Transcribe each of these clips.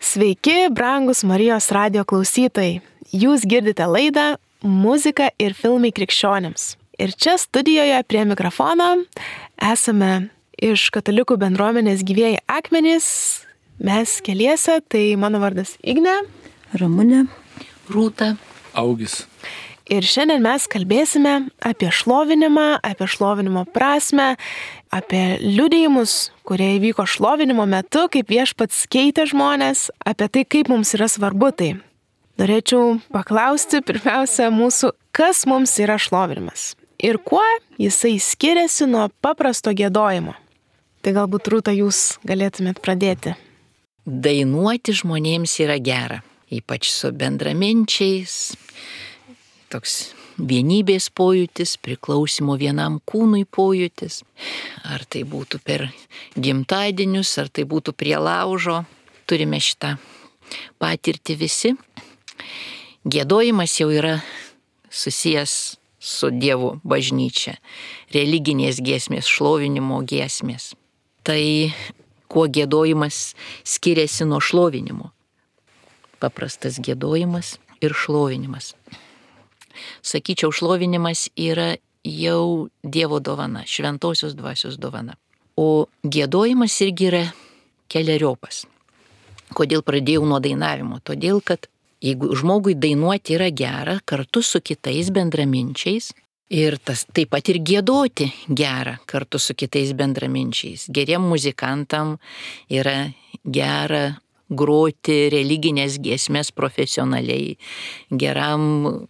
Sveiki, brangus Marijos radio klausytojai. Jūs girdite laidą Muzika ir filmai krikščionims. Ir čia studijoje prie mikrofono esame iš katalikų bendruomenės Gyvieji akmenys. Mes keliese, tai mano vardas Ignė, Ramunė, Rūta, Augis. Ir šiandien mes kalbėsime apie šlovinimą, apie šlovinimo prasmę, apie liudijimus, kurie įvyko šlovinimo metu, kaip Viešpats keitė žmonės, apie tai, kaip mums yra svarbu tai. Norėčiau paklausti pirmiausia mūsų, kas mums yra šlovinimas ir kuo jisai skiriasi nuo paprasto giedojimo. Tai galbūt, Rūta, jūs galėtumėt pradėti. Dainuoti žmonėms yra gera, ypač su bendraminčiais. Toks vienybės pojūtis, priklausimo vienam kūnui pojūtis. Ar tai būtų per gimtadienius, ar tai būtų prie laužo. Turime šitą patirtį visi. Giedojimas jau yra susijęs su Dievo bažnyčia. Religinės giesmės, šlovinimo giesmės. Tai kuo giedojimas skiriasi nuo šlovinimo? Paprastas giedojimas ir šlovinimas. Sakyčiau, šlovinimas yra jau Dievo dovana, šventosios dvasios dovana. O giedojimas irgi yra keleriopas. Kodėl pradėjau nuo dainavimo? Todėl, kad jeigu žmogui dainuoti yra gera, kartu su kitais bendraminčiais, ir tas taip pat ir giedoti gera kartu su kitais bendraminčiais. Geriem muzikantam yra gera groti religinės giesmės profesionaliai, geram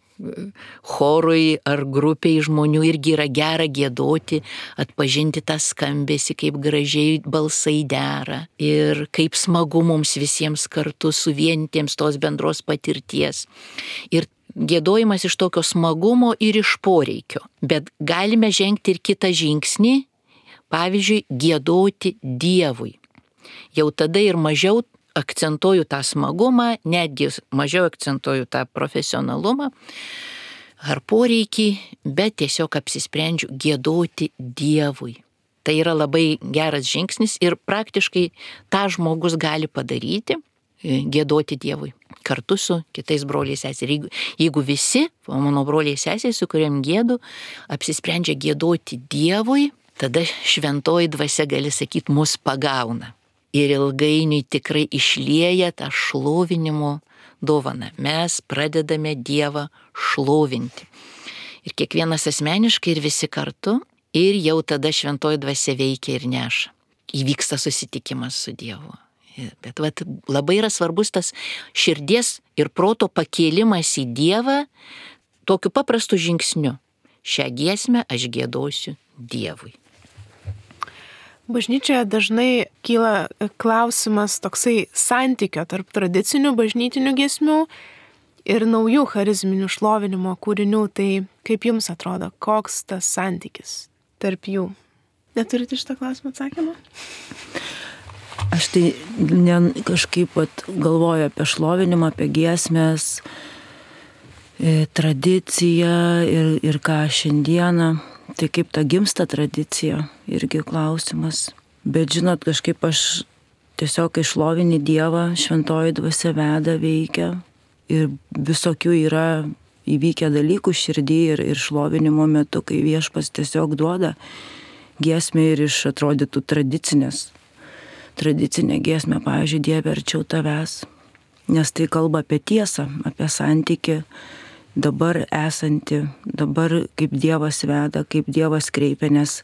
chorui ar grupiai žmonių irgi yra gera giedoti, atpažinti tą skambesį, kaip gražiai balsai dera ir kaip smagu mums visiems kartu suvienitiems tos bendros patirties. Ir giedojimas iš tokio smagumo ir iš poreikio. Bet galime žengti ir kitą žingsnį, pavyzdžiui, giedoti Dievui. Jau tada ir mažiau akcentuoju tą smagumą, netgi mažiau akcentuoju tą profesionalumą ar poreikį, bet tiesiog apsisprendžiu giedoti Dievui. Tai yra labai geras žingsnis ir praktiškai tą žmogus gali padaryti, giedoti Dievui kartu su kitais broliais sesės. Jeigu visi, mano broliai sesės, su kuriam giedu, apsisprendžia giedoti Dievui, tada šventoji dvasia, gali sakyti, mus pagauna. Ir ilgainiui tikrai išlieja tą šlovinimo dovaną. Mes pradedame Dievą šlovinti. Ir kiekvienas asmeniškai ir visi kartu. Ir jau tada šventoji dvasia veikia ir neša. Įvyksta susitikimas su Dievu. Bet labai yra svarbus tas širdies ir proto pakėlimas į Dievą tokiu paprastu žingsniu. Šią giesmę aš giedosiu Dievui. Bažnyčioje dažnai kyla klausimas toksai santykio tarp tradicinių bažnytinių giesmių ir naujų charizminių šlovinimo kūrinių. Tai kaip jums atrodo, koks tas santykis tarp jų? Neturite šitą klausimą atsakymą? Aš tai kažkaip galvoju apie šlovinimą, apie giesmės, tradiciją ir ką šiandieną. Tai kaip ta gimsta tradicija, irgi klausimas. Bet žinot, kažkaip aš tiesiog, kai šlovini Dievą, šventoji dvasia veda, veikia. Ir visokių yra įvykę dalykų širdį ir šlovinimo metu, kai Viešpats tiesiog duoda giesmę ir iš atrodytų tradicinę giesmę, pavyzdžiui, Dieve arčiau tavęs. Nes tai kalba apie tiesą, apie santykį. Dabar esanti, dabar kaip Dievas veda, kaip Dievas kreipia, nes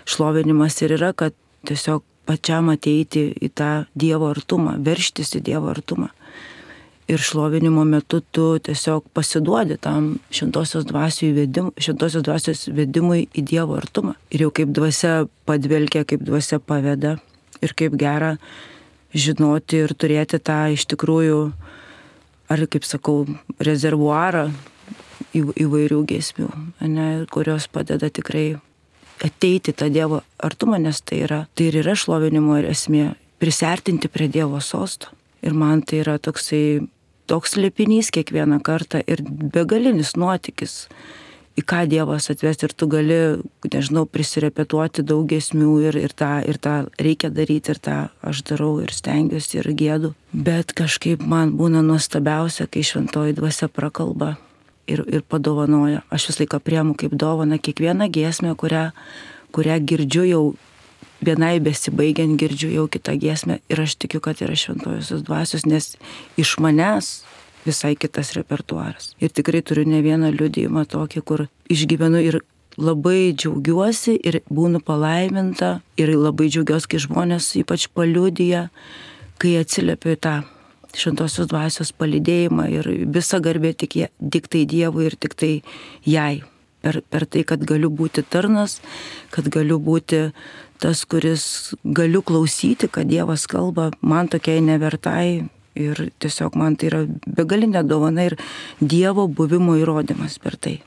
šlovinimas ir yra, kad tiesiog pačiam ateiti į tą Dievo artumą, verštis į Dievo artumą. Ir šlovinimo metu tu tiesiog pasiduodi tam šventosios dvasios vedimui į Dievo artumą. Ir jau kaip dvasia padvelkia, kaip dvasia paveda ir kaip gera žinoti ir turėti tą iš tikrųjų, ar kaip sakau, rezervuarą įvairių giesmių, kurios padeda tikrai ateiti tą Dievo artumą, nes tai ir yra šlovinimo ir esmė, prisiartinti prie Dievo sosto. Ir man tai yra toks slėpinys kiekvieną kartą ir begalinis nuotykis į ką Dievas atves ir tu gali, nežinau, prisirepetuoti daug giesmių ir tą reikia daryti ir tą aš darau ir stengiuosi ir gėdu. Bet kažkaip man būna nuostabiausia, kai šventoji dvasia prakalba ir padovanoja. Aš visą laiką priemu kaip dovaną kiekvieną giesmę, kurią girdžiu jau vienai besibaigiant, girdžiu jau kitą giesmę ir aš tikiu, kad yra šventojosios dvasios, nes iš manęs visai kitas repertuaras. Ir tikrai turiu ne vieną liudijimą tokį, kur išgyvenu ir labai džiaugiuosi ir būnu palaiminta ir labai džiaugiuosi, kai žmonės ypač paliudija, kai atsiliepiu į tą šventosios dvasios palydėjimą ir visa garbė tik tai Dievui ir tik tai jai. Per tai, kad galiu būti tarnas, kad galiu būti tas, kuris galiu klausyti, kad Dievas kalba man tokiai nevertai. Ir tiesiog man tai yra begalinė dovana ir Dievo buvimo įrodymas per tai.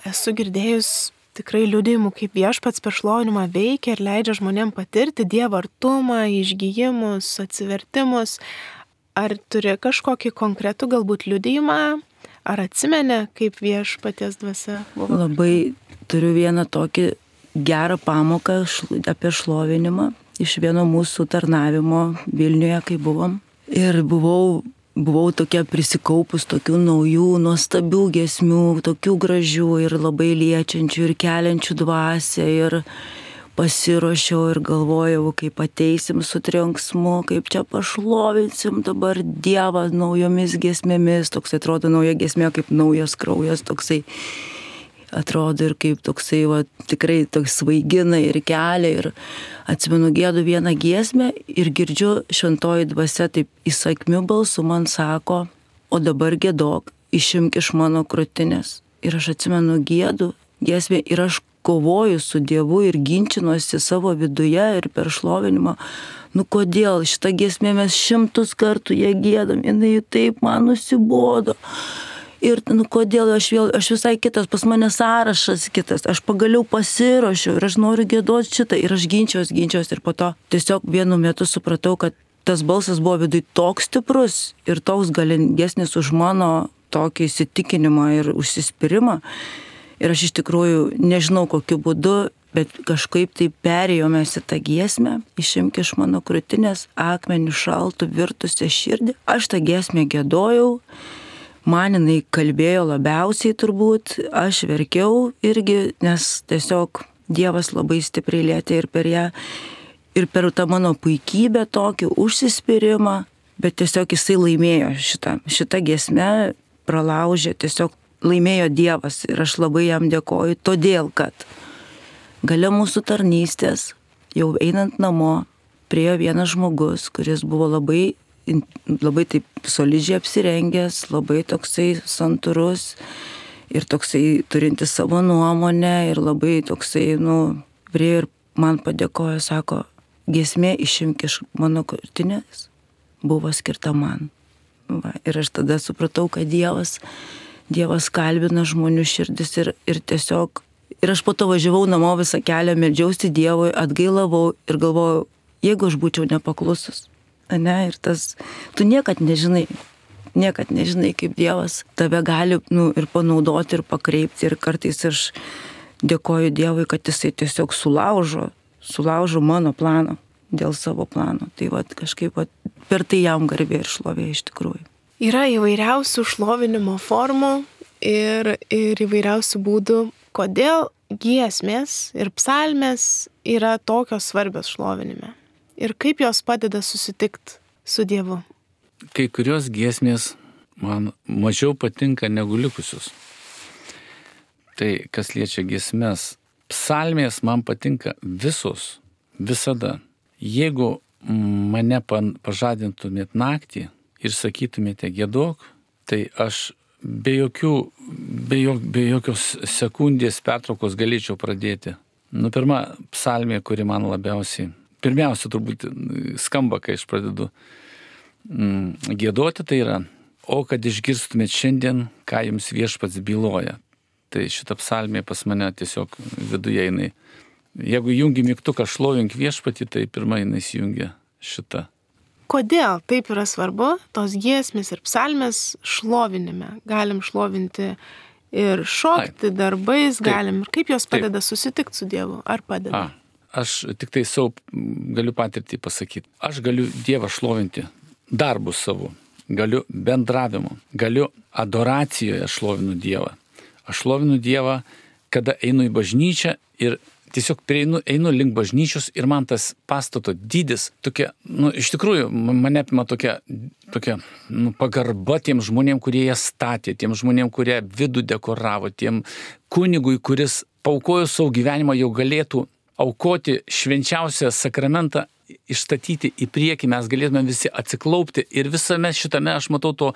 Esu girdėjus tikrai liudijimų, kaip Viešpats per šlovinimą veikia ir leidžia žmonėm patirti Dievo artumą, išgijimus, atsivertimus. Ar turi kažkokį konkretų galbūt liudijimą, ar atsimeni, kaip Viešpaties dvasia buvo? Labai turiu vieną tokį gerą pamoką apie šlovinimą iš vieno mūsų tarnavimo Vilniuje, kai buvom. Ir buvau tokia prisikaupus tokių naujų, nuostabių giesmių, tokių gražių ir labai liečiančių ir keliančių dvasią ir pasiruošiau ir galvojau, kaip ateisim su trenksmu, kaip čia pašlovinsim dabar Dievą naujomis giesmėmis, toks atrodo nauja giesmė, kaip naujas kraujas, toksai atrodo ir kaip toksai, tikrai toks svaigina ir kelia ir atsimenu gėdu vieną giesmę ir girdžiu šventoji dvasia taip įsakmiu balsu man sako, o dabar giedok, išimk iš mano krūtinės. Ir aš atsimenu gėdu giesmę ir aš kovoju su Dievu ir ginčinuosi savo viduje ir per šlovinimą. Kodėl šitą giesmę mes 100 kartų ją giedam, jinai taip man nusibodo. Ir kodėl aš visai kitas, pas mane sąrašas kitas, aš pagaliau pasiruošiau ir aš noriu giedoti šitą ir aš ginčiaus ir po to tiesiog vienu metu supratau, kad tas balsas buvo viduj toks stiprus ir toks galingesnis už mano tokį įsitikinimą ir užsispyrimą. Ir aš iš tikrųjų nežinau kokiu būdu, bet kažkaip tai perėjomės į tą giesmę, išimk iš mano krūtinės akmenį šaltų virtusią širdį. Aš tą giesmę giedojau. Man jinai kalbėjo labiausiai turbūt, aš verkiau irgi, nes tiesiog Dievas labai stipriai lietė ir per ją, ir per tą mano puikybę tokį užsispyrimą, bet tiesiog jisai laimėjo šitą giesmę, pralaužė, tiesiog laimėjo Dievas ir aš labai jam dėkoju, todėl kad gale mūsų tarnystės, jau einant namo, priėjo vienas žmogus, kuris buvo labai taip solidžiai apsirengęs, labai toksai santūrus ir toksai turintis savo nuomonę ir labai toksai, priejo ir man padėkojo, sako, giesmė išimk iš mano krūtinės buvo skirta man. Ir aš tada supratau, kad Dievas kalbina žmonių širdis ir tiesiog, ir aš po to važiavau namo visą kelią, meldžiausi Dievui, atgailavau ir galvojau, jeigu aš būčiau nepaklusus. Ir tu niekad nežinai, kaip Dievas tave gali ir panaudoti ir pakreipti ir kartais aš dėkoju Dievui, kad jisai tiesiog sulaužo mano planą dėl savo plano. Tai kažkaip per tai jam garbė ir šlovė iš tikrųjų. Yra įvairiausių šlovinimo formų ir įvairiausių būdų, kodėl giesmės ir psalmės yra tokios svarbios šlovinime. Ir kaip jos padeda susitikti su Dievu? Kai kurios giesmės man mažiau patinka negu likusius. Tai kas liečia giesmes, psalmės man patinka visos, visada. Jeigu mane pažadintumėt naktį ir sakytumėte giedok, tai aš be jokios sekundės pertraukos galėčiau pradėti. Pirma psalmė, kuri man pirmiausia turbūt skamba, kai aš pradedu giedoti, tai yra, o kad išgirstumėt šiandien, ką jums Viešpats byloja. Tai šita psalmė pas mane tiesiog viduje jinai. Jeigu jungi mygtuką šlovink Viešpatį, tai pirmą jinai įsijungia šita. Kodėl taip yra svarbu tos giesmės ir psalmės šlovinime? Galim šlovinti ir šokti darbais Taip. galim. Ir kaip jos padeda susitikti su Dievu? Ar padeda? Aš tik tai savo galiu patirtį pasakyti. Aš galiu Dievą šlovinti darbu savo, galiu bendravimu, galiu adoracijoje šlovinu Dievą. Aš šlovinu Dievą, kada einu į bažnyčią ir tiesiog einu link bažnyčios ir man tas pastato dydis tokia, iš tikrųjų, mane apima tokia pagarba tiem žmonėm, kurie ją statė, tiem žmonėm, kurie vidų dekoravo, tiem kunigui, kuris paaukojo savo gyvenimą, jau galėtų aukoti švenčiausią sakramentą, išstatyti į priekį, mes galėtume visi atsiklaupti ir visame šitame aš matau to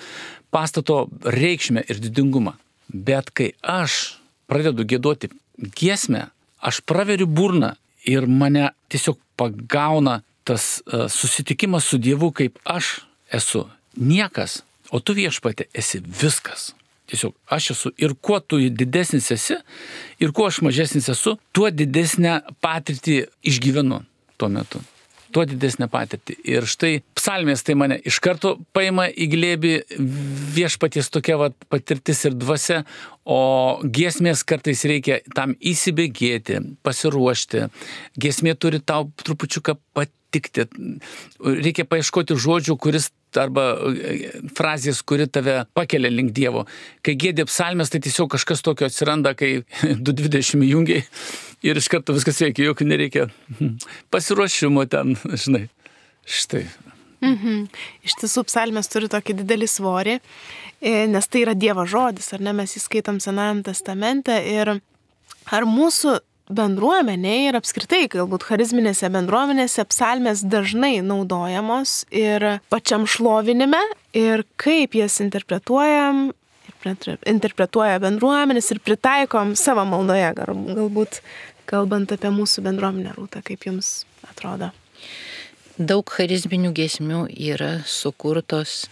pastato reikšmę ir didingumą. Bet kai aš pradedu giedoti giesmę, aš praveriu burną ir mane tiesiog pagauna tas susitikimas su Dievu, kaip aš esu niekas, o tu Viešpatie esi viskas. Tiesiog aš esu ir kuo tu didesnis esi ir kuo aš mažesnis esu, tuo didesnę patirtį išgyvenu tuo metu. Tuo didesnę patirtį. Ir štai psalmės tai mane iš karto paima į glėbį Viešpaties tokia patirtis ir dvasia, o giesmės kartais reikia tam įsibėgėti, pasiruošti. Giesmė turi tau trupučiuką patikti. Reikia paieškoti žodžių, arba frazės, kuri tave pakelia link Dievo. Kai giedi psalmės, tai tiesiog kažkas tokio atsiranda, kai 2.20 jungiai ir iš karto viskas veikia, jokių nereikia pasiruošimo ten, žinai. Štai. Iš tiesų, psalmės turi tokį didelį svorį, nes tai yra Dievo žodis, ar ne, mes įskaitom Senajam testamente ir ar mūsų bendruomenėje ir apskritai, galbūt charizminėse bendruomenėse psalmės dažnai naudojamos ir pačiam šlovinime ir kaip jas interpretuoja bendruomenės ir pritaikom savo maldoje, galbūt kalbant apie mūsų bendruomenę, Rūta, kaip jums atrodo? Daug charizminių giesmių yra sukurtos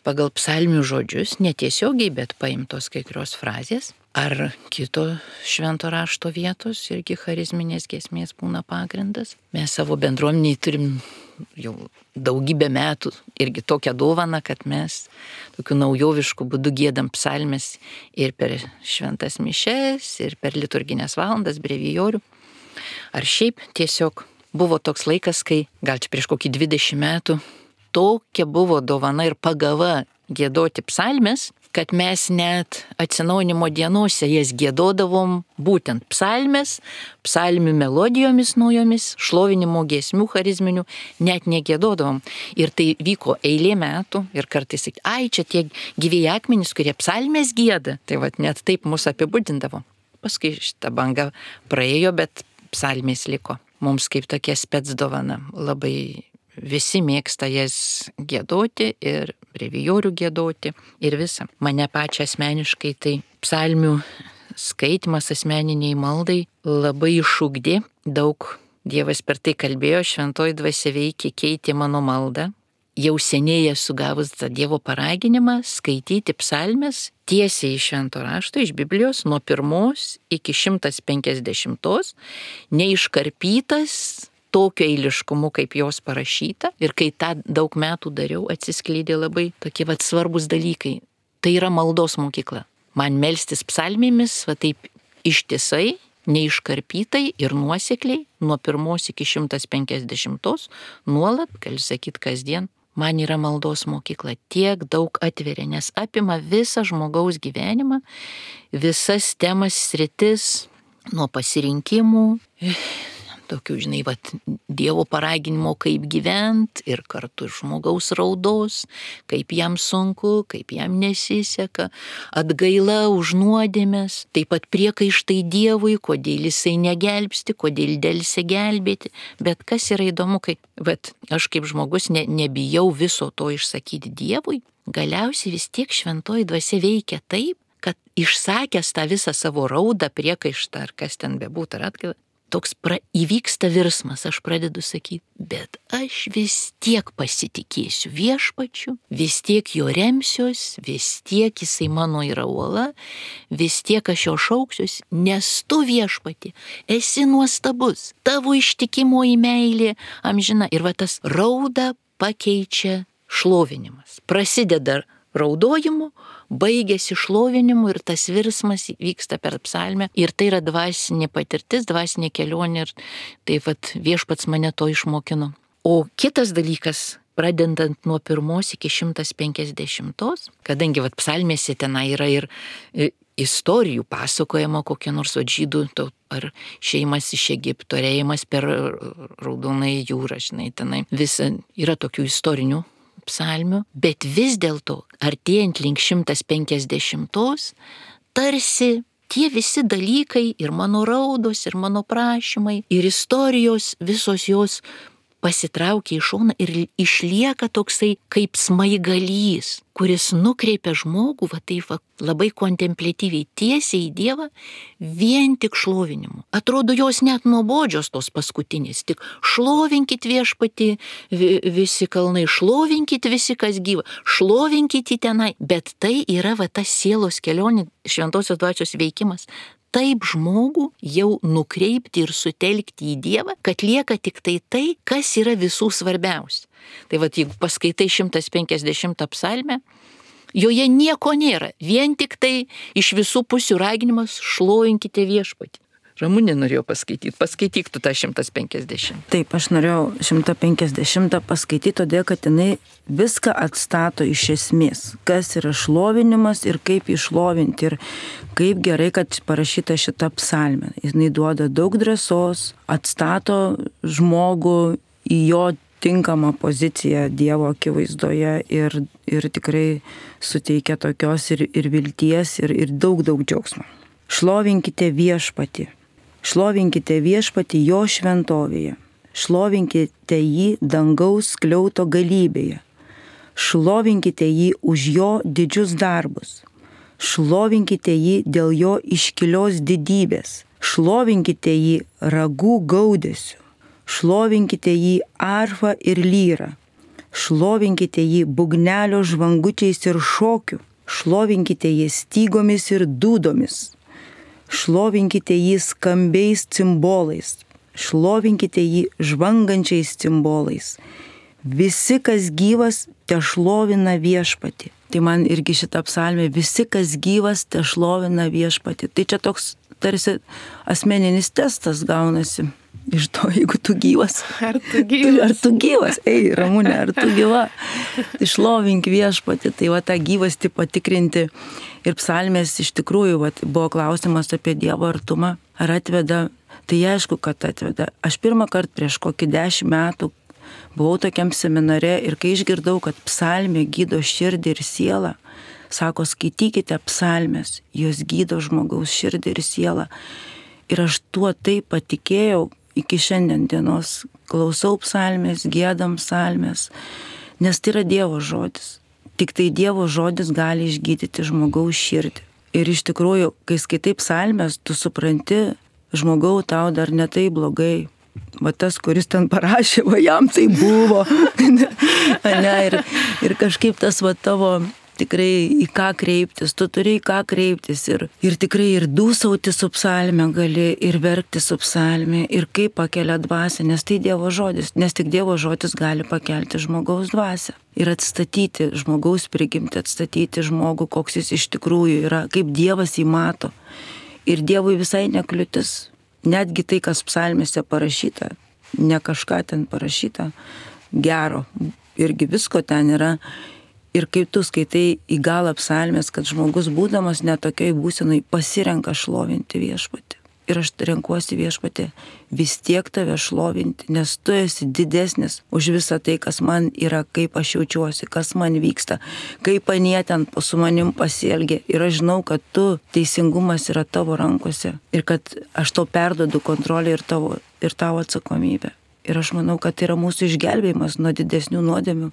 pagal psalmių žodžius, netiesiogiai, bet paimtos kai kurios frazės. Ar kito švento rašto vietos irgi charizminės giesmės būna pagrindas. Mes savo bendruomeniai turim jau daugybę metų irgi tokią dovaną, kad mes tokiu naujovišku būdu giedam psalmes ir per šventas mišes, ir per liturginės valandas, brevijorių. Ar šiaip tiesiog buvo toks laikas, kai gal čia prieš kokį 20 metų tokia buvo dovana ir pagava giedoti psalmes, kad mes net atsinaujinimo dienose jas giedodavom būtent psalmes, psalmių melodijomis naujomis, šlovinimo giesmių charizminių, net negiedodavom. Ir tai vyko eilė metų ir kartais sakė, čia tie gyvieji akmenys, kurie psalmes gieda. Tai net taip mus apibūdindavo. Paskui šitą bangą praėjo, bet psalmės liko. Mums kaip tokia spec dovana labai. Visi mėgsta jas giedoti ir brevijorių giedoti ir visą. Mane pačią asmeniškai tai psalmių skaitimas asmeniniai maldai labai išugdė. Daug Dievas per tai kalbėjo, šventoji dvasia veikė, keitė mano maldą. Jau seniai esu gavus tą Dievo paraginimą skaityti psalmes tiesiai iš švento rašto, iš Biblijos, nuo 1 iki 150, neiškarpytas, tokio eiliškumu, kaip jos parašyta. Ir kai tą daug metų dariau, atsiskleidė labai tokie svarbus dalykai. Tai yra maldos mokykla. Man melstis psalmėmis, taip ištisai, neiškarpytai ir nuosekliai, nuo 1 iki 150, nuolat, gali sakyti, kasdien, man yra maldos mokykla. Tiek daug atveria, nes apima visą žmogaus gyvenimą, visas temas, sritis, nuo pasirinkimų, tokių, Dievo paraginimo, kaip gyvent ir kartu žmogaus raudos, kaip jam sunku, kaip jam nesiseka, atgaila už nuodėmes, taip pat priekaištai Dievui, kodėl jisai negelbsti, kodėl delsia gelbėti. Bet kas yra įdomu, kai aš kaip žmogus nebijau viso to išsakyti Dievui, galiausiai vis tiek šventoji dvasia veikia taip, kad išsakęs tą visą savo raudą, priekaištą ar kas ten bebūtų ar atgailą, toks įvyksta virsmas, aš pradedu sakyti, bet aš vis tiek pasitikėsiu Viešpačiu, vis tiek jo remsiuos, vis tiek jisai mano yra uola, vis tiek aš jo šauksiuos, nes tu Viešpati esi nuostabus, tavo ištikimoji meilė amžina. Ir tas raudą pakeičia šlovinimas. Prasideda raudojimu, baigėsi šlovinimu ir tas virsmas vyksta per psalmę. Ir tai yra dvasinė patirtis, dvasinė kelionė ir tai viešpats mane to išmokino. O kitas dalykas, pradedant nuo 1 iki 150, kadangi psalmėse tenai yra ir istorijų pasakojama kokia nors žydų ar šeimas iš Egipto, ėjimas per Raudonąją jūrą, žinai, tenai visa yra tokių istorinių psalmių, bet vis dėlto artėjant link 150, tarsi tie visi dalykai ir mano raudos, ir mano prašymai, ir istorijos, visos jos pasitraukia į šoną ir išlieka toksai kaip smaigalys, kuris nukreipia žmogų labai kontempliatyviai tiesiai į Dievą vien tik šlovinimu. Atrodo, jos net nuobodžios tos paskutinės, tik šlovinkit viešpatį visi kalnai, šlovinkit visi kas gyva, šlovinkit į tenai, bet tai yra ta sielos kelionė, šventosios dvasios veikimas. Taip žmogų jau nukreipti ir sutelkti į Dievą, kad lieka tik tai, kas yra visų svarbiausia. Tai jeigu paskaitai 150 psalmę, joje nieko nėra, vien tik tai iš visų pusių raginimas šlovinkite viešpatį. Ramunė norėjo paskaityti, paskaityk tu tą 150. Taip, aš norėjau 150 paskaityti, todėl kad jinai viską atstato iš esmės, kas yra šlovinimas ir kaip išlovinti ir kaip gerai, kad parašyta šita psalmė. Jinai duoda daug drąsos, atstato žmogų į jo tinkamą poziciją Dievo akivaizdoje ir tikrai suteikia tokios ir vilties ir daug džiaugsmo. Šlovinkite viešpatį. Šlovinkite viešpatį jo šventovėje, šlovinkite jį dangaus skliauto galybėje, šlovinkite jį už jo didžius darbus, šlovinkite jį dėl jo iškilios didybės, šlovinkite jį ragų gaudesiu, šlovinkite jį arfa ir lyra, šlovinkite jį būgnelio žvangučiais ir šokiu, šlovinkite jį stygomis ir dūdomis. Šlovinkite jį skambiais cimbolais, šlovinkite jį žvangančiais cimbolais. Visi, kas gyvas, te šlovina viešpatį. Tai man irgi šitą psalmę, visi, kas gyvas, te šlovina viešpatį. Tai čia toks tarsi asmeninis testas gaunasi iš to, jeigu tu gyvas. Ar tu gyvas? Ar tu gyvas? Ei, Ramunė, ar tu gyva? Tai šlovink viešpatį, tai tą gyvastį patikrinti. Ir psalmės iš tikrųjų buvo klausimas apie Dievo artumą, ar atveda, tai aišku, kad atveda. Aš pirmą kartą prieš kokį 10 metų buvau tokiam seminare ir kai išgirdau, kad psalmė gydo širdį ir sielą, sako, skaitykite psalmės, jos gydo žmogaus širdį ir sielą. Ir aš tuo taip patikėjau iki šiandien dienos, klausau psalmės, giedam psalmės, nes tai yra Dievo žodis. Tik tai Dievo žodis gali išgydyti žmogaus širdį. Ir iš tikrųjų, kai skaitai psalmės, tu supranti, žmogau, tau dar ne tai blogai. Tas, kuris ten parašė, jam tai buvo. ir kažkaip tas tavo tikrai į ką kreiptis, tu turi į ką kreiptis ir tikrai ir dūsauti su psalme gali, ir verkti su psalme, ir kaip pakelia dvasią, nes tai Dievo žodis, nes tik Dievo žodis gali pakelti žmogaus dvasią ir atstatyti žmogaus prigimtį, atstatyti žmogų, koks jis iš tikrųjų yra, kaip Dievas jį mato. Ir Dievui visai nekliūtis, netgi tai, kas psalmėse parašyta, ne kažką ten parašyta, gero, irgi visko ten yra. Ir kaip tu skaitai į galą psalmės, kad žmogus būdamas netokioj būsenai pasirenka šlovinti viešpatį. Ir aš renkuosi viešpatį vis tiek tave šlovinti, nes tu esi didesnis už visą tai, kas man yra, kaip aš jaučiuosi, kas man vyksta, kaip anie ten su manim pasielgia. Ir aš žinau, kad tu teisingumas yra tavo rankose ir kad aš tau perduodu kontrolę ir tavo atsakomybę. Ir aš manau, kad tai yra mūsų išgelbėjimas nuo didesnių nuodėmių,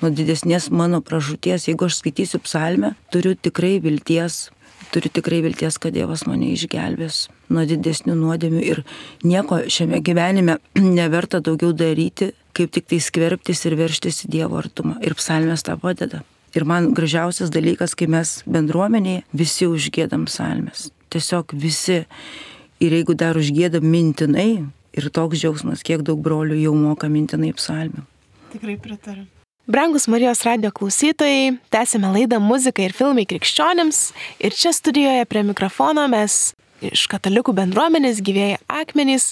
nuo didesnės mano pražūties. Jeigu aš skaitysiu psalmę, turiu tikrai vilties, kad Dievas mane išgelbės nuo didesnių nuodėmių. Ir nieko šiame gyvenime neverta daugiau daryti, kaip tik tai skverbtis ir verštis į Dievo artumą. Ir psalmės tą padeda. Ir man gražiausias dalykas, kai mes bendruomenėje visi užgiedam psalmės. Tiesiog visi. Ir jeigu dar užgiedam mintinai, ir toks džiaugsmas, kiek daug brolių jau moka mintinai psalmių. Tikrai pritariu. Brangus Marijos radijo klausytojai, tęsime laidą Muzika ir filmai krikščionims ir čia studijoje prie mikrofono mes iš katalikų bendruomenės Gyvieji akmenys,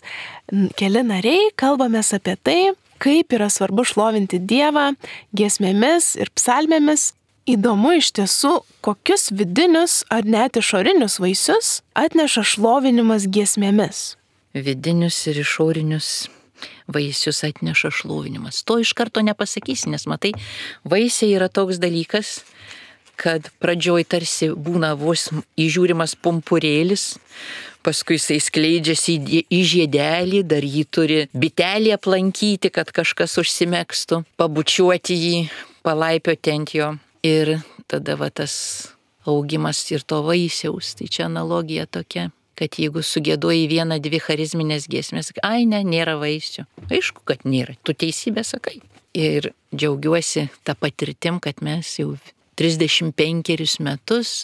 keli nariai, kalbamės apie tai, kaip yra svarbu šlovinti Dievą giesmėmis ir psalmėmis. Įdomu iš tiesų, kokius vidinius ar net išorinius vaisius atneša šlovinimas giesmėmis. Vidinius ir išorinius vaisius atneša šlovinimas. To iš karto nepasakysi, nes matai, vaisiai yra toks dalykas, kad pradžioj tarsi būna vos įžiūrimas pumpurėlis, paskui jisai skleidžiasi į žiedelį, dar jį turi bitelį aplankyti, kad kažkas užsimegstų, pabučiuoti jį, palaipioti ant jo ir tada va tas augimas ir to vaisiaus. Tai čia analogija tokia, kad jeigu sugėdoji 1-2 charizminės giesmės, ai ne, nėra vaisių. Aišku, kad nėra, tu teisybę sakai. Ir džiaugiuosi tą patirtim, kad mes jau 35 metus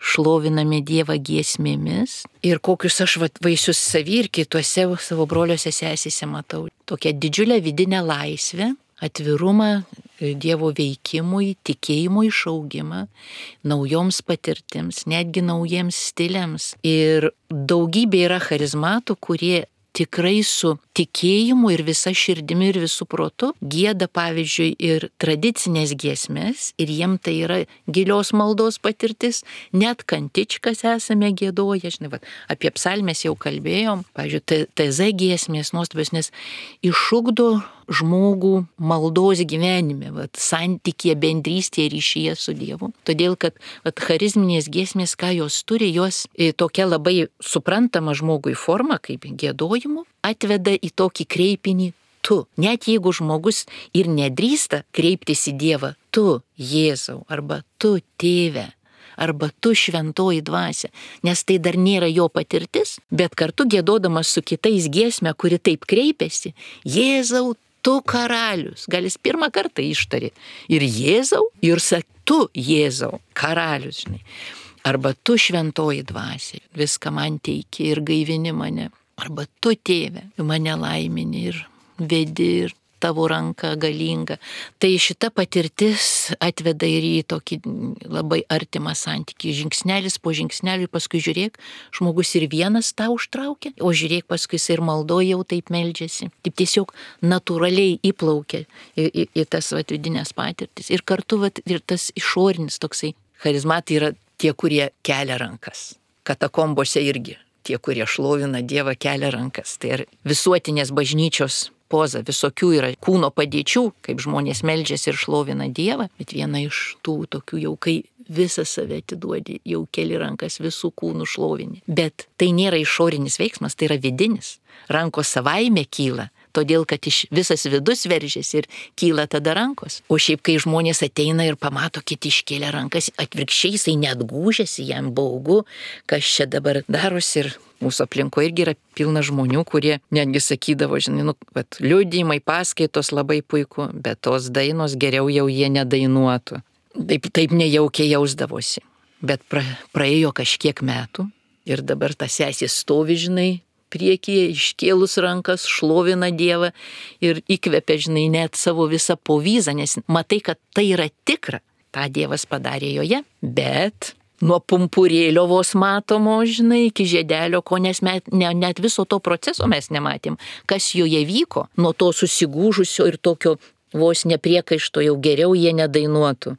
šloviname Dievą giesmėmis ir kokius aš vaisius savy ir kituose savo broliuose sesėse matau. Tokią didžiulę vidinę laisvę, atvirumą Dievo veikimui, tikėjimo išaugimą, naujoms patirtims, netgi naujiems stiliams. Ir daugybė yra charizmatų, kurie tikrai su tikėjimu ir visa širdimi ir visų protu gieda, pavyzdžiui, ir tradicinės giesmės, ir jiem tai yra gilios maldos patirtis, net kantičkas esame giedoję, žinai, apie psalmės jau kalbėjom, pavyzdžiui, TZ giesmės nuostabios, nes išugdo žmogų maldos gyvenime, santykėje, bendrystėje, ryšyje su Dievu. Todėl, kad charizminės giesmės, ką jos turi, jos tokia labai suprantama žmogui forma, kaip giedojimų, atveda į tokį kreipinį tu. Net jeigu žmogus ir nedrįsta kreiptis į Dievą, tu Jėzau, arba tu Tėve, arba tu Šventoji Dvasia, nes tai dar nėra jo patirtis, bet kartu giedodamas su kitais giesmę, kuri taip kreipiasi, Jėzau, tu karalius, gal jis pirmą kartą ištari. Ir Jėzau, ir sak, tu Jėzau, karalius, žinai. Arba tu Šventoji Dvasia, viską man teiki ir gaivini mane. Arba tu Tėve, mane laimini ir vedi ir tavo ranka galinga. Tai šita patirtis atveda ir į tokį labai artimą santykį. Žingsnelis po žingsnelį, paskui žiūrėk, žmogus ir vienas tą užtraukia, o žiūrėk, paskui jis ir maldoje jau taip meldžiasi. Taip tiesiog natūraliai įplaukia į tas vidinės patirtis. Ir kartu ir tas išorinis toksai charizmatai yra tie, kurie kelia rankas. Katakombose irgi tie, kurie šlovina Dievą, kelia rankas. Tai ir visuotinės bažnyčios poza, visokių yra kūno padėčių, kaip žmonės meldžiasi ir šlovina Dievą, bet viena iš tų tokių jau, kai visą save atiduodi, jau keli rankas visų kūnų šlovini. Bet tai nėra išorinis veiksmas, tai yra vidinis. Rankos savaime kyla, todėl kad visas vidus veržiasi ir kyla tada rankos. O šiaip, kai žmonės ateina ir pamato kiti iškėlę rankas, atvirkščiai jisai net gūžiasi, jam baugu, kas čia dabar darosi. Ir mūsų aplinkoje irgi yra pilna žmonių, kurie netgi sakydavo, žinai, liudijimai, paskaitos labai puiku, bet tos dainos geriau jau jie nedainuotų. Taip nejaukiai jausdavosi. Bet praėjo kažkiek metų ir dabar ta sesė stovi, žinai, priekyje, iškėlus rankas, šlovina Dievą ir įkvepia, žinai, net savo visą povyzą, nes matai, kad tai yra tikra. Ta Dievas padarė joje, bet nuo pumpurėlio vos matomo, žinai, iki žiedelio, ko nes net viso to proceso mes nematėm, kas joje vyko, nuo to susigūžusio ir tokio vos nepriekaišto jau geriau jie nedainuotų.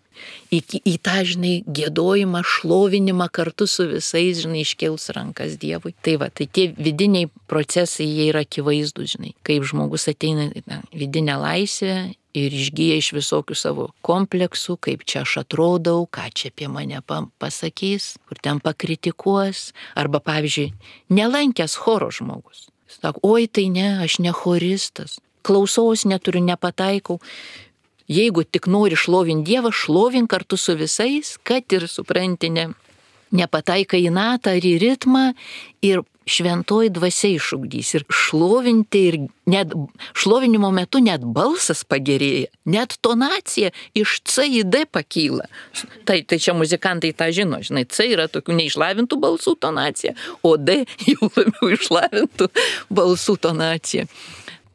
Į tą, žinai, giedojimą, šlovinimą kartu su visais, žinai, iškėlus rankas Dievui. Tai tie vidiniai procesai, jie yra akivaizdūs, žinai, kaip žmogus ateina vidinę laisvę ir išgyja iš visokių savo kompleksų, kaip čia aš atrodau, ką čia apie mane pasakys, kur ten pakritikuos, arba, pavyzdžiui, nelankęs choro žmogus. Sako, oi, tai ne, aš ne choristas. Klausaus neturiu, nepataikau. Jeigu tik nori šlovinti Dievą, šlovink kartu su visais, kad ir supranti, nepataikai į natą ar į ritmą ir šventoji dvasia išugdys. Ir šlovinti, ir net šlovinimo metu net balsas pagerėja, net tonacija iš C į D pakyla. Tai čia muzikantai tą žino, žinai, C yra tokių neišlavintų balsų tonacija, o D jau labiau išlavintų balsų tonacija.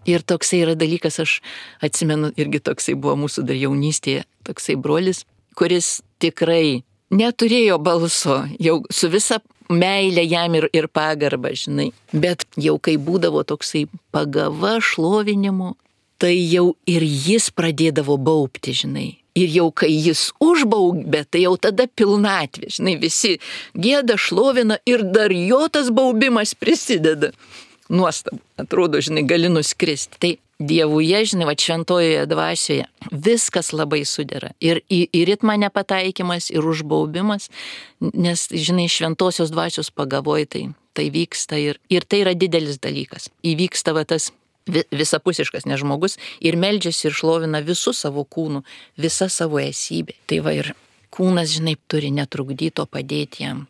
Ir toksai yra dalykas, aš atsimenu, irgi toksai buvo mūsų dar jaunystėje, toksai brolis, kuris tikrai neturėjo balso, jau su visa meilė jam ir pagarba, žinai. Bet jau kai būdavo toksai pagava šlovinimo, tai jau ir jis pradėdavo baubti, žinai. Ir jau kai jis užbaubė, tai jau tada pilnatvė, žinai, visi gieda, šlovina ir dar jo tas baubimas prisideda. Nuostabu, atrodo, žinai, gali nuskristi. Tai Dievuje, žinai, va šventojoje dvasioje viskas labai sudera. Ir į ritmą nepataikymas, ir užbaubimas, nes, žinai, šventosios dvasios pagavoj tai vyksta ir tai yra didelis dalykas. Įvyksta va tas visapusiškas, nes žmogus ir meldžiasi ir šlovina visų savo kūnų, visa savo esybė. Tai va ir kūnas, žinai, turi netrukdyti, o padėti jam.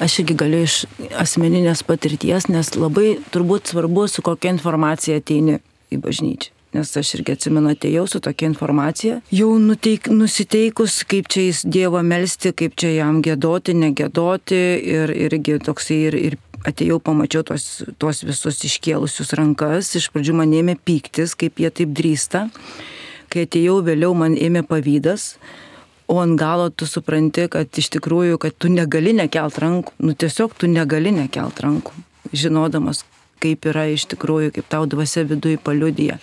Aš irgi galiu iš asmeninės patirties, nes labai turbūt svarbu, su kokia informacija ateini į bažnyčią. Nes aš irgi atsimenu, atėjau su tokia informacija, jau nusiteikus, kaip čia jis Dievą melsti, kaip čia jam giedoti, negedoti ir irgi toksai ir atėjau, pamačiau tuos visus iškėlusius rankas, iš pradžių man ėmė pyktis, kaip jie taip drįsta. Kai atėjau vėliau, man ėmė pavydas. O ant galo tu supranti, kad iš tikrųjų, kad tu negali nekelt rankų. Tiesiog tu negali nekelt rankų, žinodamas, kaip yra iš tikrųjų, kaip tau dvasia viduje paliudija.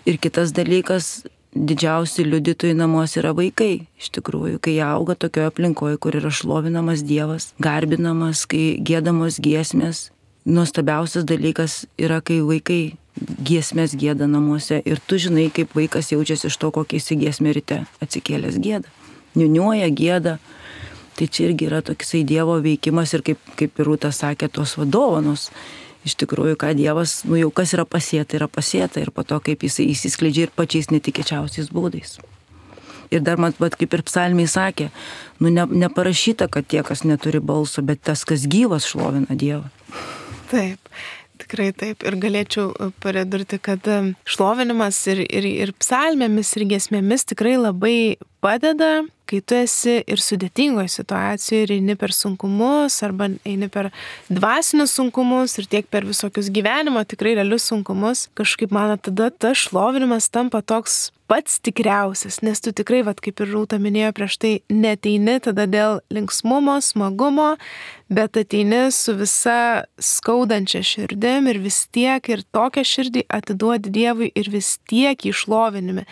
Ir kitas dalykas, didžiausi liudytojai namuose yra vaikai. Iš tikrųjų, kai jie auga tokioje aplinkoje, kur yra šlovinamas Dievas, garbinamas, kai giedamos giesmės. Nuostabiausias dalykas yra, kai vaikai giesmės gieda namuose. Ir tu žinai, kaip vaikas jaučiasi iš to, kokią jis giesmę ryte atsikėlęs gieda. Niuniuoja, gieda. Tai čia irgi yra toksai Dievo veikimas ir kaip Rūta sakė, tos vadovanos. Iš tikrųjų, ką Dievas, jau kas yra pasėta ir po to, kaip jisai įsiskleidžia ir pačiais netikėčiausiais būdais. Ir dar man, kaip ir psalmiai sakė, neparašyta, kad tie, kas neturi balso, bet tas, kas gyvas, šlovina Dievą. Taip. Tikrai taip. Ir galėčiau pridurti, kad šlovinimas ir psalmėmis, ir giesmėmis tikrai labai padeda, kai tu esi ir sudėtingoje situacijoje, ir eini per sunkumus, arba eini per dvasinius sunkumus, ir tiek per visokius gyvenimo tikrai realius sunkumus. Kažkaip man tada tas šlovinimas tampa toks pats tikriausias, nes tu tikrai, kaip ir Rūta minėjo prieš tai, neteini tada dėl linksmumo, smagumo, bet ateini su visa skaudančia širdim ir vis tiek ir tokią širdį atiduodi Dievui ir vis tiek išlovini.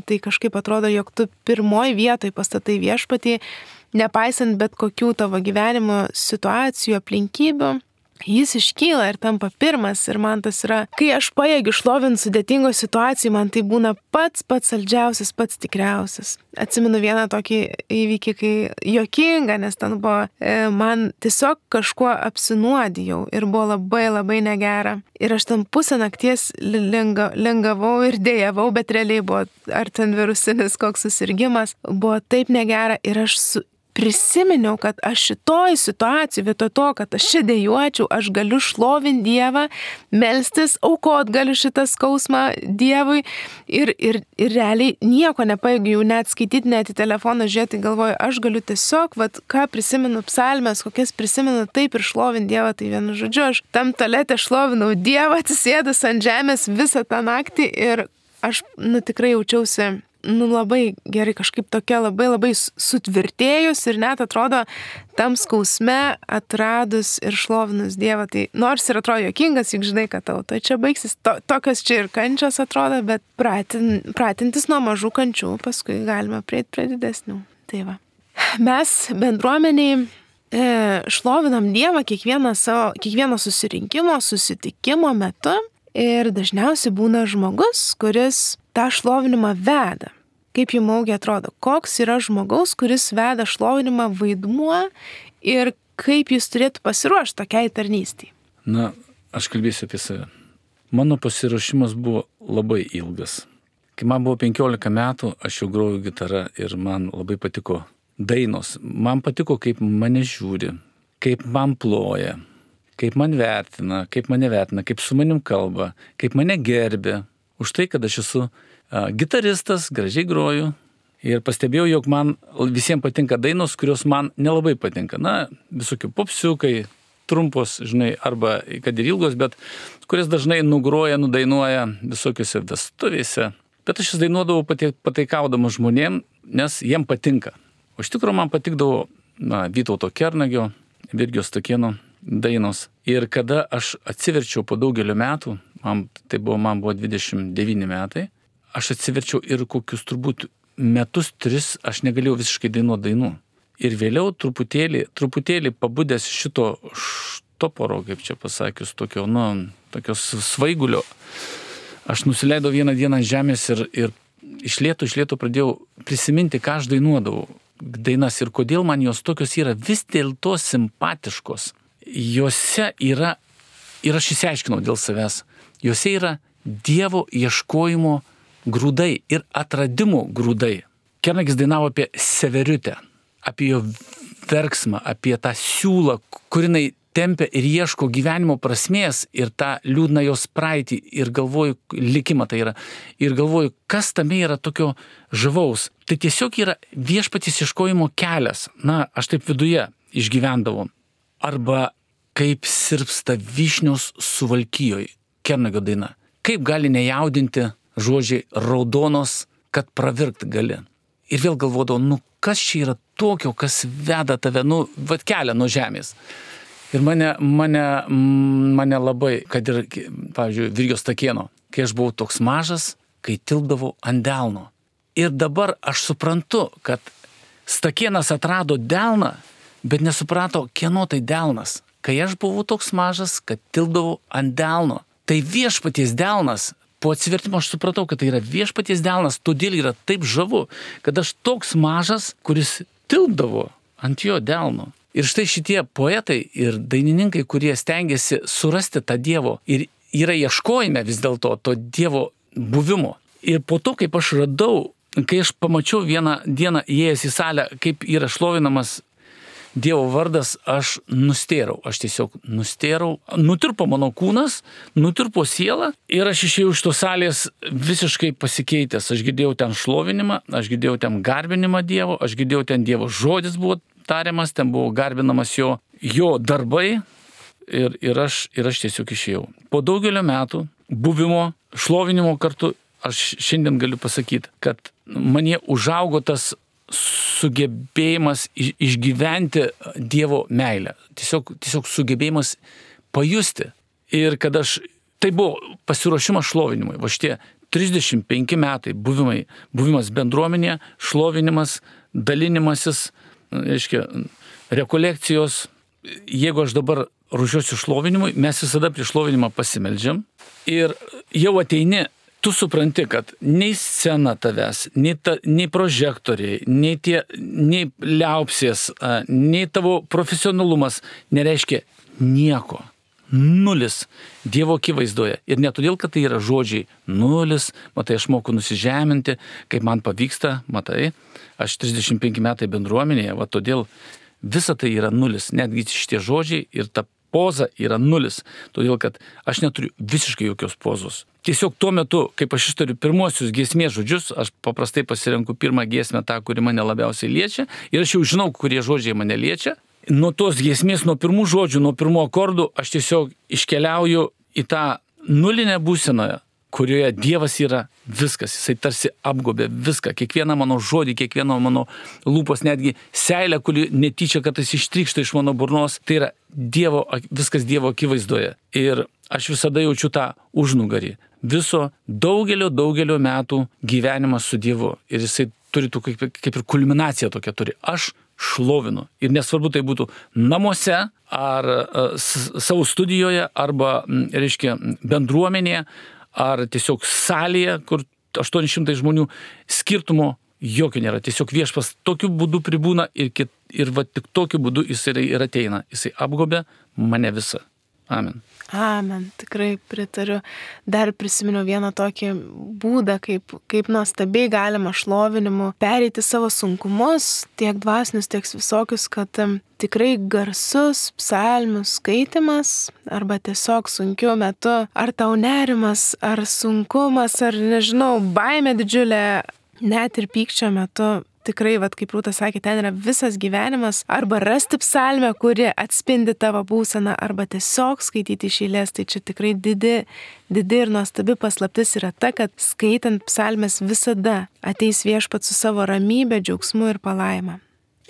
Tai kažkaip atrodo, jog tu pirmoji vietoje pastatai viešpatį, nepaisant bet kokių tavo gyvenimo situacijų, aplinkybių. Jis iškyla ir tampa pirmas ir man tas yra, kai aš pajėgiu šlovinti sudėtingoje situacijoje, man tai būna pats saldžiausias, pats tikriausias. Atsimenu vieną tokį įvykį, kai juokinga, nes ten buvo, man tiesiog kažkuo apsinuodijau ir buvo labai negera. Ir aš ten pusę nakties lingavau ir dėjavau, bet realiai buvo ar ten virusinis koks susirgimas, buvo taip negera ir aš prisiminiau, kad aš šitoj situacijai, vietoj to, kad aš čia dejuočiau, aš galiu šlovinti Dievą, melstis, aukot galiu šitą skausmą Dievui ir realiai nieko nepajėgiu jau net skaityti, net į telefoną žiūrėti, galvoju, aš galiu tiesiog, ką prisimenu psalmės, kokias prisimenu, taip ir šlovinti Dievą, tai vienu žodžiu, aš tam tualete šlovinau Dievą, atsisėdus ant žemės visą tą naktį ir aš tikrai jaučiausi labai gerai, kažkaip tokia labai sutvirtėjus ir net atrodo tam skausme atradus ir šlovinus Dievą. Tai nors ir atrodo juokingas, juk žinai, kad tau čia baigsis, tokios čia ir kančios atrodo, bet pratintis nuo mažų kančių, paskui galime prieiti prie didesnių. Tai va. Mes bendruomeniai šlovinam Dievą kiekvieno susitikimo metu ir dažniausiai būna žmogus, kuris tą šlovinimą veda. Kaip jums augiai atrodo, koks yra žmogaus, kuris veda šlovinimą vaidmuo ir kaip jis turėtų pasiruošti tokiai tarnystei? Aš kalbėsiu apie save. Mano pasiruošimas buvo labai ilgas. Kai man buvo 15 metų, aš jau grojau gitarą ir man labai patiko dainos. Man patiko, kaip mane žiūri, kaip man ploja, kaip man vertina, kaip mane vertina, kaip su manim kalba, kaip mane gerbė. Už tai, kad aš esu gitaristas, gražiai groju ir pastebėjau, jog man visiems patinka dainos, kurios man nelabai patinka. Visokių popsiukai, trumpos, žinai, arba kad ir ilgos, bet kurias dažnai nugroja, nudainuoja visokiose vestuvėse. Bet aš jas dainuodavau pataikaudamas žmonėm, nes jiem patinka. O iš tikrųjų man patikdavo Vytauto Kernagio, Virgio Stakėno dainos. Ir kada aš atsiverčiau po daugelio metų, man buvo 29 metai, aš atsiverčiau ir kokius turbūt metus 3 aš negalėjau visiškai dainuoti dainų. Ir vėliau truputėlį pabudęs šito štoporo, kaip čia pasakius, tokios svaigulio, aš nusileidau vieną dieną ant žemės ir iš lėto pradėjau prisiminti, ką aš dainuodavau dainas ir kodėl man jos tokios yra vis dėlto simpatiškos. Jose yra, ir aš įsiaiškinau dėl savęs, jose yra Dievo ieškojimo grūdai ir atradimo grūdai. Kernagis dainavo apie Severiutę, apie jo verksmą, apie tą siūlą, kur jinai tempia ir ieško gyvenimo prasmės ir tą liūdną jos praeitį ir galvoju, likimą tai yra. Ir galvoju, kas tame yra tokio žavaus. Tai tiesiog yra viešpaties ieškojimo kelias. Aš taip viduje išgyvendavau. Arba kaip sirpsta vyšnios Suvalkijoj, Kernagio daina. Kaip gali nejaudinti žodžiai raudonos, kad pravirkt gali. Ir vėl galvodavau, kas čia yra tokio, kas veda tave, kelia nuo žemės. Ir mane labai, kad ir, pavyzdžiui, Virgio Stakėno, kai aš buvau toks mažas, kai tilpdavau ant delno. Ir dabar aš suprantu, kad Stakėnas atrado delną, bet nesuprato, kieno tai delnas. Kai aš buvau toks mažas, kad tilpdavau ant delno. Tai viešpaties delnas. Po atsivertimo aš supratau, kad tai yra viešpaties delnas, todėl yra taip žavu, kad aš toks mažas, kuris tilpdavo ant jo delno. Ir štai šitie poetai ir dainininkai, kurie stengiasi surasti tą Dievo ir yra ieškojime vis dėlto to Dievo buvimo. Ir po to, kaip aš radau, kai aš pamačiau vieną dieną įėjęs į salę, kaip yra šlovinamas Dievo vardas, aš nustėrau. Aš tiesiog nustėrau. Nutirpo mano kūnas, nutirpo siela ir aš išėjau iš tos salės visiškai pasikeitęs. Aš girdėjau ten šlovinimą, aš girdėjau ten garbinimą Dievo, aš girdėjau ten Dievo žodis buvo tariamas, ten buvo garbinamas jo darbai ir aš tiesiog išėjau. Po daugelio metų buvimo, šlovinimo kartu, aš šiandien galiu pasakyti, kad manie užaugo tas sugebėjimas išgyventi Dievo meilę. Tiesiog sugebėjimas pajusti. Ir kad tai buvo pasiruošimas šlovinimui. Va šitie 35 metai buvimas bendruomenėje, šlovinimas, dalinimasis, rekolekcijos. Jeigu aš dabar ruošiuosi šlovinimui, mes visada prieš šlovinimą pasimeldžiam ir jau ateini. Tu supranti, kad nei scena tavęs, nei prožektoriai, nei liaupsės, nei tavo profesionalumas nereiškia nieko. Nulis Dievo akivaizdoje. Ir ne todėl, kad tai yra žodžiai nulis, matai, aš moku nusižeminti, kaip man pavyksta, matai, aš 35 metai bendruomenėje, va todėl visa tai yra nulis, netgi šitie žodžiai ir ta poza yra nulis, todėl kad aš neturiu visiškai jokios pozos. Tiesiog tuo metu, kaip aš ištariu pirmuosius giesmės žodžius, aš paprastai pasirenku pirmą giesmę tą, kuri mane labiausiai liečia ir aš jau žinau, kurie žodžiai mane liečia. Nuo tos giesmės, nuo pirmų žodžių, nuo pirmų akordų aš tiesiog iškeliauju į tą nulinę būsenoje, kurioje Dievas yra viskas, jisai tarsi apgobė viską, kiekvieną mano žodį, kiekvieną mano lūpos, netgi seilę, kuri netyčia kartais ištrykšta iš mano burnos, tai yra viskas Dievo akivaizdoje. Ir aš visada jaučiu tą užnugarį. Viso daugelio metų gyvenimas su Dievu. Ir jisai turi kaip ir kulminaciją tokią turi. Aš šlovinu. Ir nesvarbu tai būtų namuose, ar savo studijoje, arba, bendruomenėje, ar tiesiog salėje, kur 800 žmonių, skirtumo jokio nėra. Tiesiog Viešpats tokiu būdu pribūna ir va tik tokiu būdu jisai ir ateina. Jisai apgobė mane visą. Amen. Amen, tikrai pritariu. Dar prisiminiau vieną tokį būdą, kaip nuostabiai galima šlovinimu pereiti savo sunkumus, tiek dvasinius, tiek visokius, kad tikrai garsus psalmių skaitimas arba tiesiog sunkiu metu, ar tau nerimas, ar sunkumas, ar nežinau, baimė didžiulė, net ir pykčio metu tikrai, kaip Rūta sakė, ten yra visas gyvenimas, arba rasti psalmę, kuri atspindi tavo būseną, arba tiesiog skaityti iš eilės. Tai čia tikrai didi ir nuostabi paslaptis yra ta, kad skaitant psalmės visada ateis Viešpats su savo ramybė, džiaugsmu ir palaima.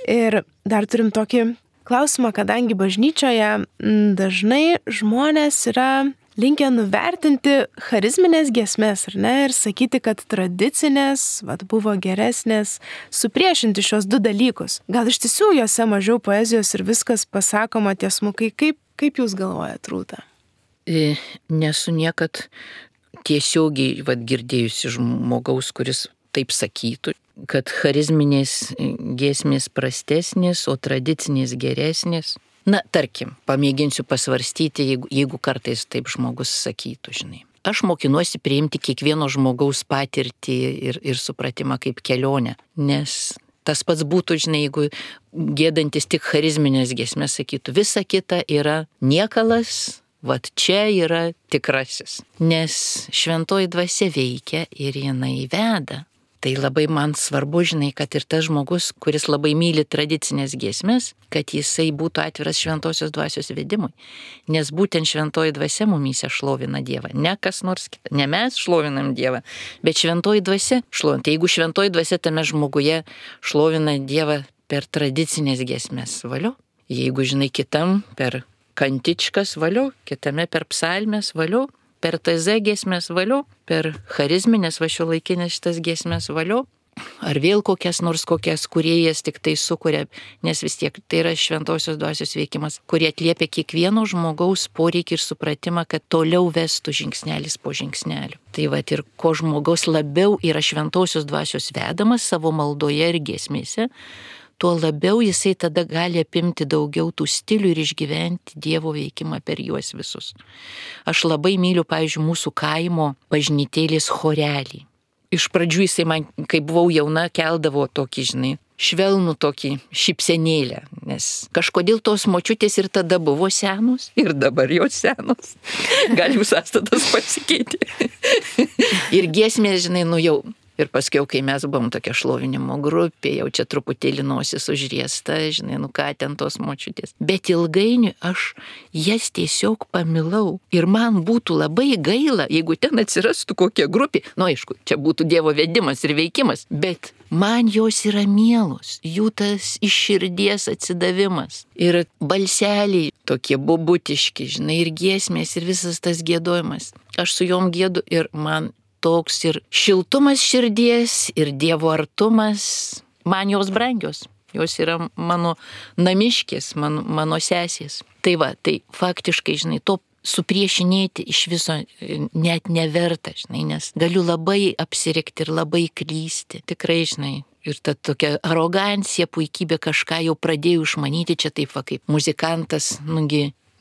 Ir dar turim tokį klausimą, kadangi bažnyčioje dažnai žmonės yra linkę nuvertinti charizminės giesmės, ar ne, ir sakyti, kad tradicinės, buvo geresnės, supriešinti šios du dalykus. Gal iš tiesų juose mažiau poezijos ir viskas pasakoma tiesmukai, kaip jūs galvojat, Rūta? Nesu niekad tiesiogiai girdėjusi žmogaus, kuris taip sakytų, kad charizminės giesmės prastesnės, o tradicinės geresnės. Na, tarkim, pamėginsiu pasvarstyti, jeigu kartais taip žmogus sakytų, žinai. Aš mokinuosi priimti kiekvieno žmogaus patirtį ir supratimą kaip kelionę, nes tas pats būtų, žinai, jeigu gėdantis tik charizminės giesmės sakytų, visa kita yra niekalas, čia yra tikrasis, nes šventoji dvasia veikia ir jinai veda. Tai labai man svarbu, žinai, kad ir tas žmogus, kuris labai myli tradicinės giesmės, kad jisai būtų atviras šventosios dvasios vedimui. Nes būtent šventoji dvasia mumyse šlovina Dievą. Ne kas nors kita. Ne mes šlovinam Dievą, bet šventoji dvasia šlovina. Tai jeigu šventoji dvasia tame žmoguje šlovina Dievą per tradicinės giesmės, valio. Jeigu, žinai, kitam per kantičkas, valio, kitame per psalmės, valio. Per TZ giesmės, valio, per charizminės šiuolaikinės šitas giesmės, valio, ar vėl kokias kūrėjas tik tai sukuria, nes vis tiek tai yra šventosios dvasios veikimas, kurie atliepia kiekvieno žmogaus poreikį ir supratimą, kad toliau vestų žingsnelis po žingsnelio. Tai ir ko žmogaus labiau yra šventosios dvasios vedamas savo maldoje ir giesmėse, tuo labiau jisai tada gali apimti daugiau tų stilių ir išgyventi Dievo veikimą per juos visus. Aš labai myliu, pavyzdžiui, mūsų kaimo bažnytėlės chorelį. Iš pradžių jisai man, kai buvau jauna, keldavo tokį, žinai, švelnų tokį šypsenėlę, nes kažkodėl tos močiutės ir tada buvo senos ir dabar jos senos. Gal jų sąstatas pasikeitė. Ir giesmės, žinai, jau. Ir paskui, kai mes buvom tokia šlovinimo grupė, jau čia truputėlį nosis užriesta, žinai, ką ten tos močiutės. Bet ilgainiui aš jas tiesiog pamilau. Ir man būtų labai gaila, jeigu ten atsirastų kokia grupė. Aišku, čia būtų Dievo vedimas ir veikimas. Bet man jos yra mielos, jų tas iš širdies atsidavimas. Ir balseliai tokie bobutiški, žinai, ir giesmės, ir visas tas giedojimas. Aš su jom giedu ir man toks ir šiltumas širdies, ir Dievo artumas, man jos brangios. Jos yra mano namiškės, mano sesės. Tai faktiškai, žinai, to supriešinėti iš viso net neverta, žinai, nes galiu labai apsirikti ir labai klysti. Tikrai, žinai, ir ta tokia arogancija, puikybė kažką jau pradėjau išmanyti, čia taip kaip muzikantas,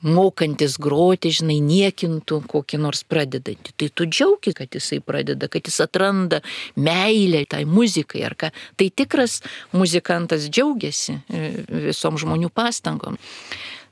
mokantis groti, žinai, niekintų kokį nors pradedantį. Tai tu džiaugi, kad jisai pradeda, kad jis atranda meilę tai muzikai ar ką. Tai tikras muzikantas džiaugiasi visom žmonių pastangom.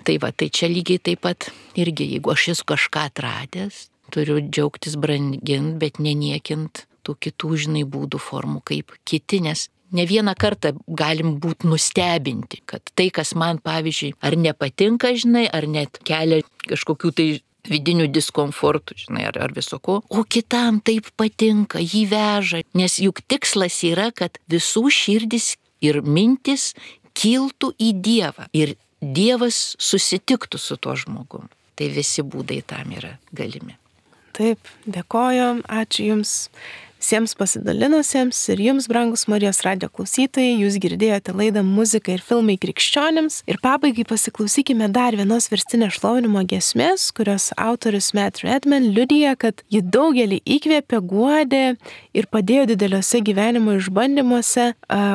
Tai čia lygiai taip pat irgi, jeigu aš esu kažką atradęs, turiu džiaugtis, brangint, bet neniekint tų kitų, žinai, būdų, formų kaip kiti, nes ne vieną kartą galim būti nustebinti, kad tai, kas man, pavyzdžiui, ar nepatinka, žinai, ar net kelia kažkokių tai vidinių diskomfortų, žinai, ar visoko, o kitam taip patinka, jį veža, nes juk tikslas yra, kad visų širdis ir mintis kiltų į Dievą ir Dievas susitiktų su tuo žmogum. Tai visi būdai tam yra galimi. Taip, dėkoju, ačiū Jums visiems pasidalinusiems ir Jums, brangus Marijos radijo klausytojai, Jūs girdėjote laidą Muzika ir filmai krikščionims. Ir pabaigai pasiklausykime dar vienos verstinės šlovinimo giesmės, kurios autorius Matt Redman liudija, kad ji daugelį įkvėpė, guodė ir padėjo dideliuose gyvenimo išbandymuose.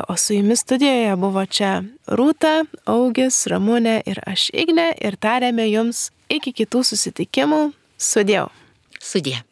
O su Jumis studijoje buvo čia Rūta, Augis, Ramunė ir aš Ignė ir tarėme Jums iki kitų susitikimų. Sudie. Sudie.